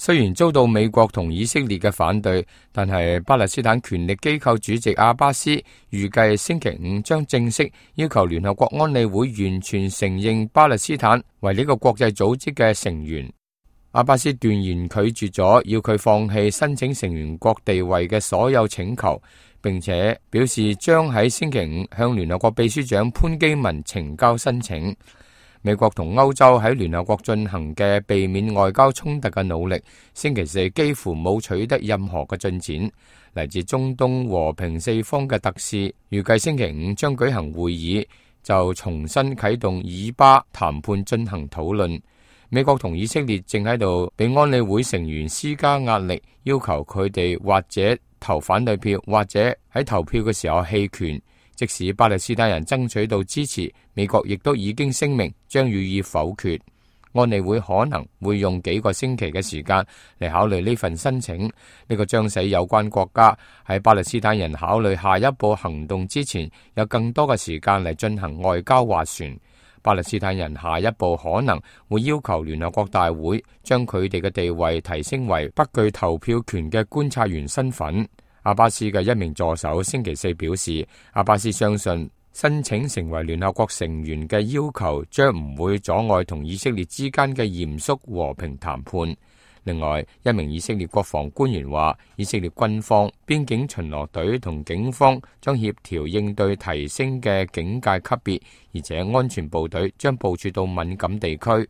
雖然遭到美國同以色列嘅反對，但係巴勒斯坦權力機構主席阿巴斯預計星期五將正式要求聯合國安理會完全承認巴勒斯坦為呢個國際組織嘅成員。阿巴斯斷言拒絕咗要佢放棄申請成員國地位嘅所有請求，並且表示將喺星期五向聯合國秘書長潘基文呈交申請。美國同歐洲喺聯合國進行嘅避免外交衝突嘅努力，星期四幾乎冇取得任何嘅進展。嚟自中東和平四方嘅特使預計星期五將舉行會議，就重新啟動以巴談判進行討論。美國同以色列正喺度俾安理會成員施加壓力，要求佢哋或者投反對票，或者喺投票嘅時候棄權。即使巴勒斯坦人爭取到支持，美國亦都已經聲明將予以否決。安理會可能會用幾個星期嘅時間嚟考慮呢份申請，呢個將使有關國家喺巴勒斯坦人考慮下一步行動之前，有更多嘅時間嚟進行外交斡旋。巴勒斯坦人下一步可能會要求聯合國大會將佢哋嘅地位提升為不具投票權嘅觀察員身份。阿巴斯嘅一名助手星期四表示，阿巴斯相信申請成為聯合國成員嘅要求將唔會阻礙同以色列之間嘅嚴肅和平談判。另外，一名以色列國防官員話，以色列軍方、邊境巡邏隊同警方將協調應對提升嘅警戒級別，而且安全部隊將部署到敏感地區。